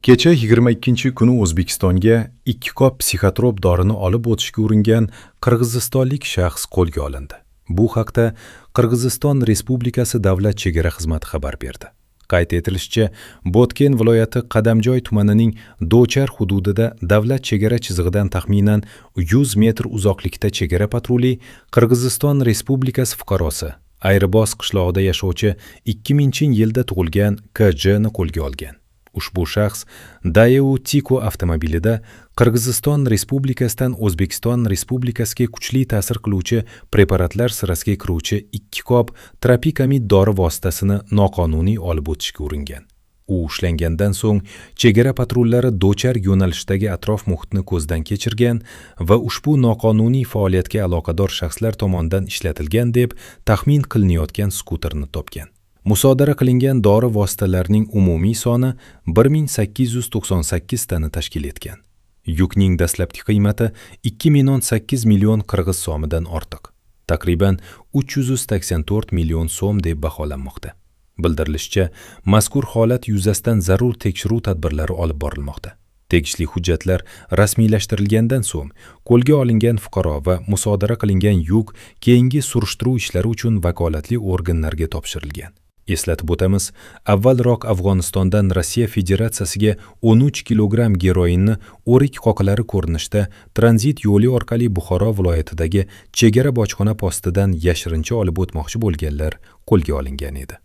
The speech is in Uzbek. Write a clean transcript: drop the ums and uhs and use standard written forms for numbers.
Kecha 22-kuni O'zbekistonga 2 qop psixotrop dorini olib o'tishga uringan qirg'izistonlik shaxs qo'lga olindi. Bu haqda Qirg'iziston Respublikasi Davlat chegara xizmati xabar berdi. Qayd etilishicha, Botken viloyati Qadamjoy tumanining Dochar hududida davlat chegara chizig'idan taxminan 100 metr uzoqlikda chegara patruli Qirg'iziston Respublikasi fuqarosi Ayribos qishlog'ida yashovchi 2000-yilda tug'ilgan KJ ni qo'lga olgan. Ushbu shaxs Daewoo Tico avtomobilida Qirg'iziston Respublikasidan O'zbekiston Respublikasiga kuchli ta'sir qiluvchi preparatlar sirasiga kiruvchi 2 qop tropikamid dori vositasini noqonuniy olib o'tishga uringan. U ushlangandan so'ng chegara patrullari Dochar yo'nalishidagi atrof muhitni ko'zdan kechirgan va ushbu noqonuniy faoliyatga aloqador shaxslar tomonidan ishlatilgan deb taxmin qilinayotgan skuterni topgan. Musodara qilingan dori vositalarining umumiy soni 1898 tani tashkil etgan. Yukning dastlabki qiymati 2,8 million qirg'iz so'midan ortiq, taqriban 384 million so'm deb baholanmoqda. Bildirilishicha, mazkur holat yuzasidan zarur tekshiruv tadbirlari olib borilmoqda. Tegishli hujjatlar rasmiylashtirilgandan so'ng qo'lga olingan fuqaro va musodara qilingan yuk keyingi surishtiruv ishlari uchun vakolatli organlarga topshirilgan. Eslatib o'tamiz, avvalroq Afg'onistondan Rossiya Federatsiyasiga 13 kilogramm geroinni o'rik qoqilari ko'rinishida tranzit yo'li orqali Buxoro viloyatidagi chegara bojxona postidan yashirincha olib o'tmoqchi bo'lganlar qo'lga olingan edi.